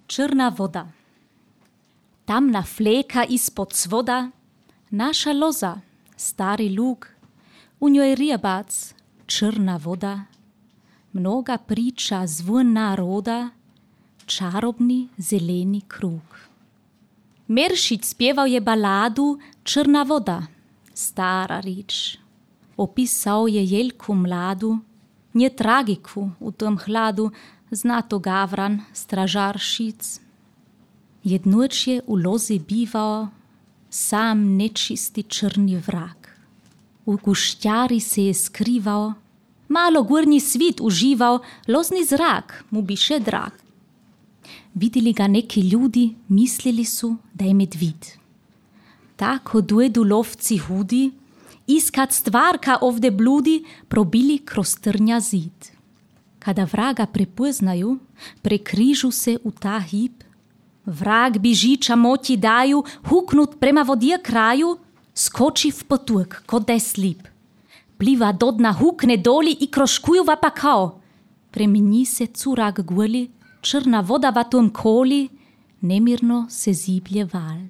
Črna voda. Tamna fleka ispod svoda, naša loza, stari lug, u njoj rijebac, črna voda, mnoga priča zvon naroda, čarobni zeleni krug. Meršić spjeval je baladu Črna voda, stara rič. Opisao je jelku mladu, nje tragiku u tom hladu, zna to Gavran, stražar šic. Jednoč je u lozi bivao sam nečisti črni vrak. U guštjari se je skrivao, malo gornji svit užival, lozni zrak mu biše drag. Videli ga neki ljudi, mislili su da je medvid. Tako dojedu lovci hudi, iskat stvarka ovde bludi, probili kroz trnja zid. Kada vraga prepoznaju, prekrižu se u ta hip, vrag bižiča moti daju, huknut prema vodje kraju, skoči v potuk, kot da je slip. Pliva do dna, hukne doli i kroškujuva pa kao. Premeni se curak guli, črna voda v tom koli, nemirno se ziblje val.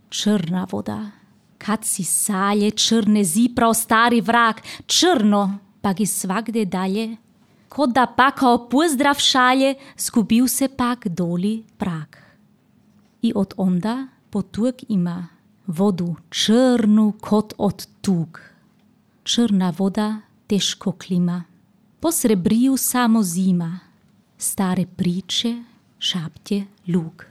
Črna voda, kad si salje črne ziprav stari vrag, črno pa gi svakde dalje, kot da pa kao pozdrav šalje, zgubil se pak doli prag. I od onda potuk ima vodu črnu kot od tug. Črna voda teško klima, po srebriju samo zima, stare priče šaptje lug.